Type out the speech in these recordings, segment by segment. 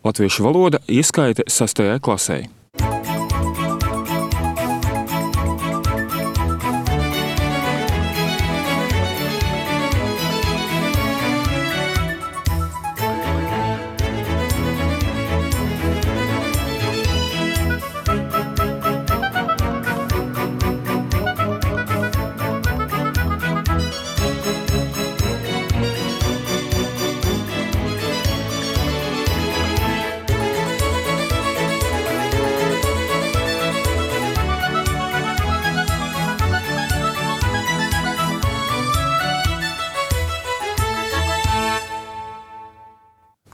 Latviešu valoda ieskaite 6. klasē.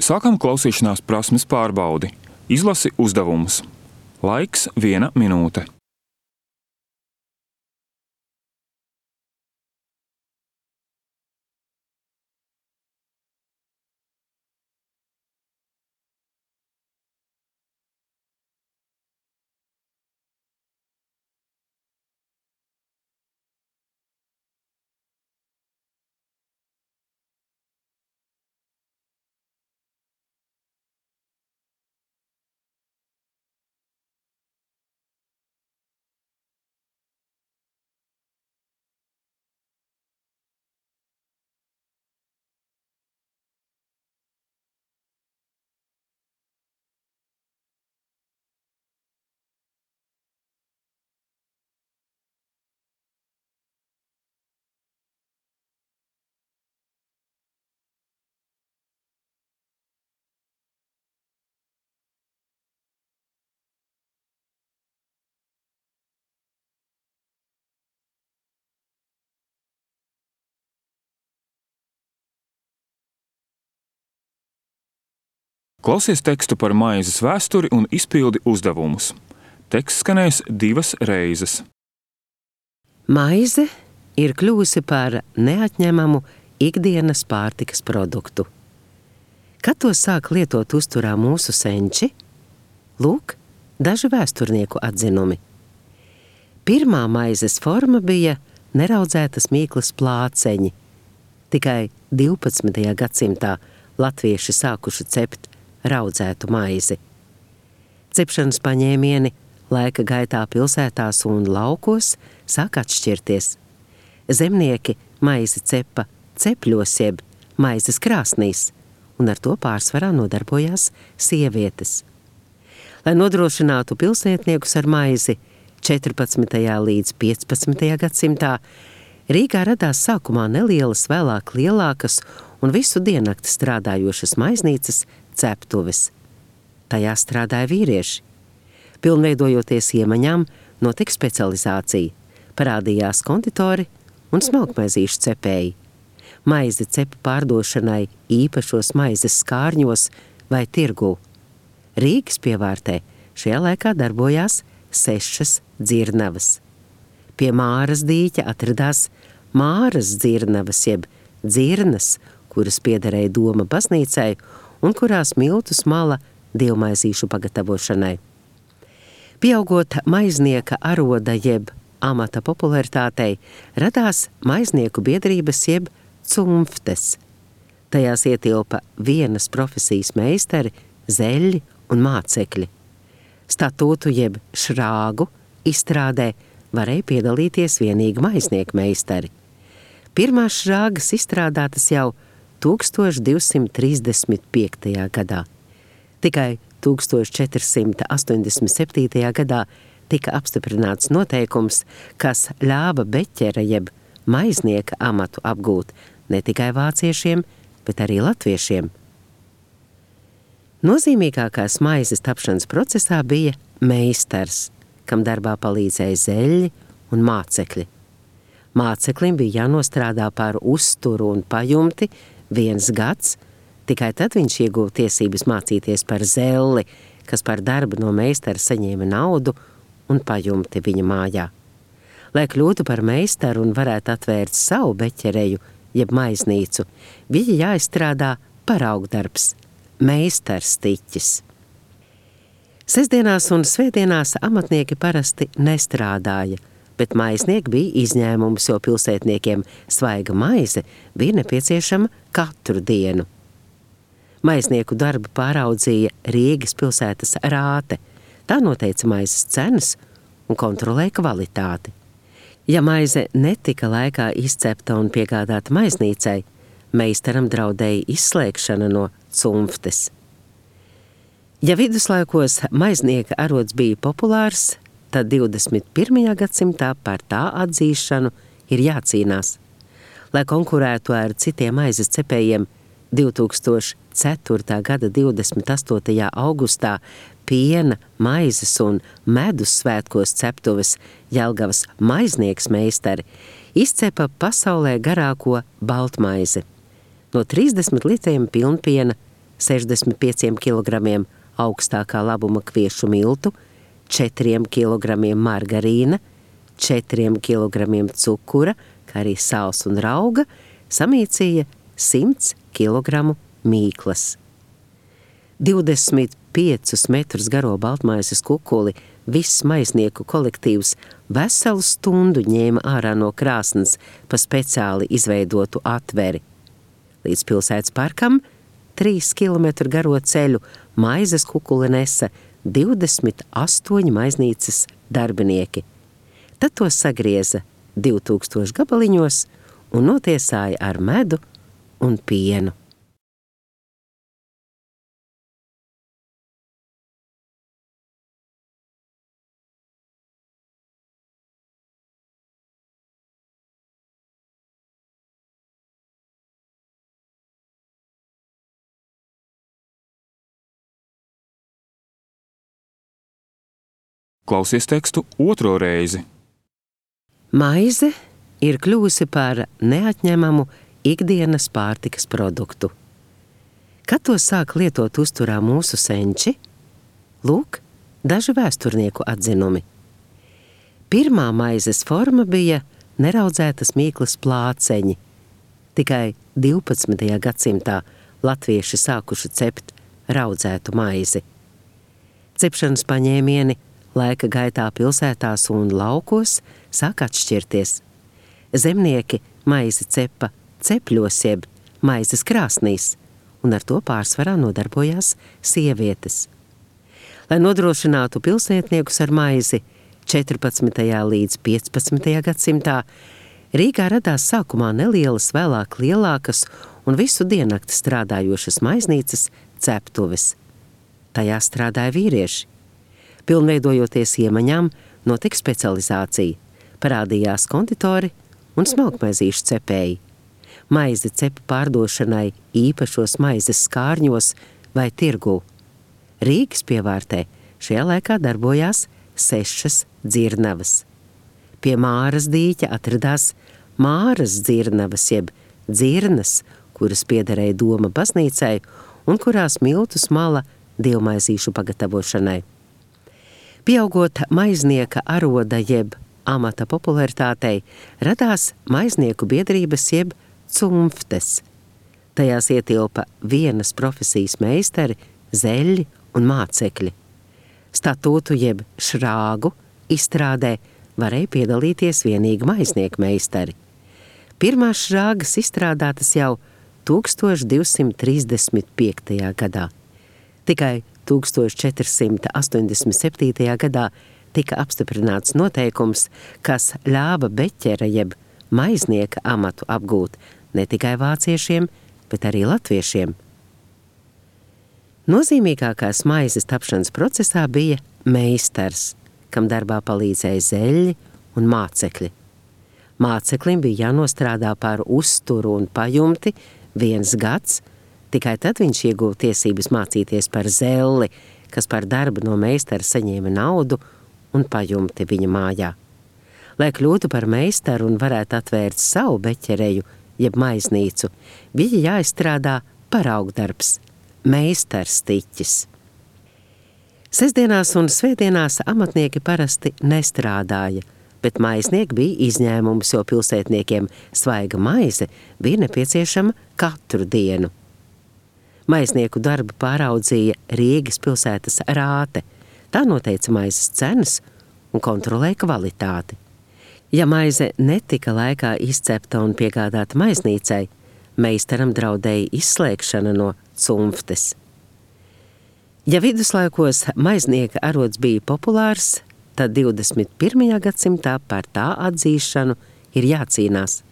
Sākam klausīšanās prasmes pārbaudi. Izlasi uzdevumus. Laiks 1 minūte. Klausies tekstu par maizes vēsturi un izpildi uzdevumus. Teksts skanēs 2 reizes. Maize ir kļuvusi par neatņemamu ikdienas pārtikas produktu. Kad to sāk lietot uzturā mūsu senči? Lūk, daži vēsturnieku atzinumi. Pirmā maizes forma bija neraudzētas mīklas plāceņi. Tikai 12. gadsimtā latvieši sākuši cept raudzētu maizi. Cepšanas paņēmieni laika gaitā pilsētās un laukos sāk atšķirties. Zemnieki maizi cepa cepļos jeb maizes krāsnīs, un ar to pārsvarā nodarbojās sievietes. Lai nodrošinātu pilsētniekus ar maizi 14. līdz 15. gadsimtā, Rīgā radās sākumā nelielas, vēlāk lielākas un visu diennakti strādājošas maiznīcas ceptuves. Tajā strādāja vīrieši. Pilnveidojoties iemaņām, notika specializācija. Parādījās konditori un smalkmaizīšu cepēji. Maizi cepa pārdošanai īpašos maizes skārņos vai tirgū. Rīgas pievārtē šajā laikā darbojās 6 dzirnavas. Pie Māras dīķa atradās Māras dzirnavas jeb dzirnas, kuras piederēja Doma baznīcai un kurās miltus mala dievmaizīšu pagatavošanai. Pieaugot maiznieka aroda jeb amata popularitātei, radās maiznieku biedrības jeb cumftes. Tajās ietilpa vienas profesijas meistari, zeļļi un mācekļi. Statūtu jeb šrāgu izstrādē varēja piedalīties vienīgi maiznieku meistari. Pirmās šrāgas izstrādātas jau 1235. gadā. Tikai 1487. gadā tika apstiprināts noteikums, kas ļāva beķera jeb maiznieka amatu apgūt ne tikai vāciešiem, bet arī latviešiem. Nozīmīgākās maizes tapšanas procesā bija meistars, kam darbā palīdzēja zeļļi un mācekļi. Māceklim bija jānostrādā par uzturu un pajumti 1 gads, tikai tad viņš ieguva tiesības mācīties par zelli, kas par darbu no meistara saņēma naudu un pajumti viņa mājā. Lai kļūtu par meistaru un varētu atvērt savu beķereju, jeb maiznīcu, bija jāizstrādā paraugdarbs, meistarstiķis. Sestdienās un svētdienās amatnieki parasti nestrādāja, bet maiznieki bija izņēmums, jo pilsētniekiem svaiga maize bija nepieciešama katru dienu. Maiznieku darbu pāraudzīja Rīgas pilsētas rāte. Tā noteica maizes cenas un kontrolēja kvalitāti. Ja maize netika laikā izcepta un piegādāta maiznīcai, meistaram draudēja izslēgšana no cumftes. Ja viduslaikos maiznieka arods bija populārs, tad 21. gadsimtā par tā atzīšanu ir jācīnās. Lai konkurētu ar citiem maizes cepējiem, 2004. gada 28. augustā piena, maizes un medus svētkos ceptuves Jelgavas maiznieks meistari izcepa pasaulē garāko baltmaizi. No 30 litriem pilnpiena, 65 kilogramiem augstākā labuma kviešu miltu, 4 kilogramiem margarīna, 4 kilogramiem cukura, kā arī sāls un rauga, samīcīja 100 kilogramu mīklas. 25 metrus garo baltmaizes kukuli viss maiznieku kolektīvs veselu stundu ņēma ārā no krāsnes pa speciāli izveidotu atveri. Līdz pilsētas parkam 3 kilometru garo ceļu maizes kukuli nesa 28 maiznīcas darbinieki. Tad to sagrieza 2000 gabaliņos un notiesāja ar medu un pienu. Klausies tekstu otro reizi. Maize ir kļuvusi par neatņemamu ikdienas pārtikas produktu. Kad to sāk lietot uzturā mūsu senči? Lūk, daži vēsturnieku atzinumi. Pirmā maizes forma bija neraudzētas mīklas plāceņi. Tikai 12. gadsimtā latvieši sākuši cept raudzētu maizi. Cepšanas paņēmieni laika gaitā pilsētās un laukos sāk atšķirties. Zemnieki maizi cepa cepļos jeb maizes krāsnīs, un ar to pārsvarā nodarbojās sievietes. Lai nodrošinātu pilsētniekus ar maizi, 14. līdz 15. gadsimtā Rīgā radās sākumā nelielas, vēlāk lielākas un visu diennakti strādājošas maiznīcas ceptuves. Tajā strādāja vīrieši. Pilnveidojoties iemaņām, notika specializācija. Parādījās konditori un smalkmaizīšu cepēji. Maizi cepa pārdošanai īpašos maizes skārņos vai tirgū. Rīgas pievārtē šajā laikā darbojās 6 dzirnavas. Pie Māras dīķa atradās Māras dzirnavas jeb dzirnas, kuras piederēja Doma baznīcai un kurās miltus mala dievmaizīšu pagatavošanai. Pieaugot maiznieka aroda jeb amata popularitātei, radās maiznieku biedrības jeb cumftes. Tajās ietilpa vienas profesijas meistari, zeļļi un mācekļi. Statūtu jeb šrāgu izstrādē varēja piedalīties vienīgi maiznieku meistari. Pirmās šrāgas izstrādātas jau 1235. gadā. Tikai 1487. gadā tika apstiprināts noteikums, kas ļāva beķera jeb maiznieka amatu apgūt ne tikai vāciešiem, bet arī latviešiem. Nozīmīgākās maizes tapšanas procesā bija meistars, kam darbā palīdzēja zeļļi un mācekļi. Māceklim bija jānostrādā par uzturu un pajumti 1 gads, tikai tad viņš ieguva tiesības mācīties par zelli, kas par darbu no meistara saņēma naudu un pajumti viņa mājā. Lai kļūtu par meistaru un varētu atvērt savu beķereju, jeb maiznīcu, bija jāizstrādā paraugdarbs, meistars tiķis. Sestdienās un svētdienās amatnieki parasti nestrādāja, bet maiznieki bija izņēmums, jo pilsētniekiem svaiga maize bija nepieciešama katru dienu. Maiznieku darbu pāraudzīja Rīgas pilsētas rāte. Tā noteica maizes cenas un kontrolēja kvalitāti. Ja maize netika laikā izcepta un piegādāta maiznīcai, Meistaram draudēja izslēgšana no cumftes. Ja viduslaikos maiznieka arods bija populārs, tad 21. gadsimtā par tā atzīšanu ir jācīnās.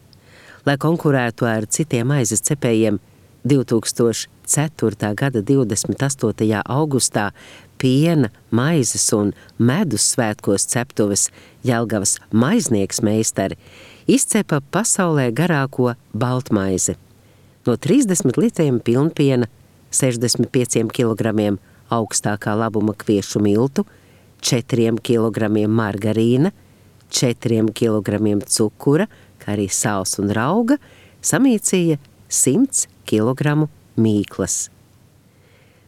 Lai konkurētu ar citiem maizes cepējiem, 2004. gada 28. augustā piena, maizes un medus svētkos ceptuves Jelgavas maiznieks meistari izcepa pasaulē garāko baltmaizi. No 30 litriem pilnpiena, 65 kilogramiem augstākā labuma kviešu miltu, 4 kilogramiem margarīna, 4 kilogramiem cukura, kā arī sāls un rauga, samīcīja 100 kilogramu mīklas.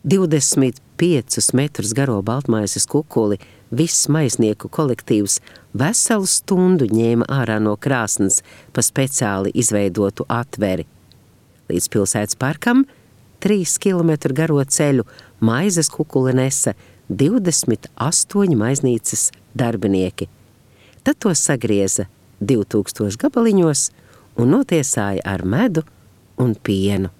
25 metrus garo baltmaizes kukuli viss maiznieku kolektīvs veselu stundu ņēma ārā no krāsnes pa speciāli izveidotu atveri. Līdz pilsētas parkam 3 kilometru garo ceļu maizes kukuli nesa 28 maiznīcas darbinieki. Tad to sagrieza 2000 gabaliņos un notiesāja ar medu un pienu.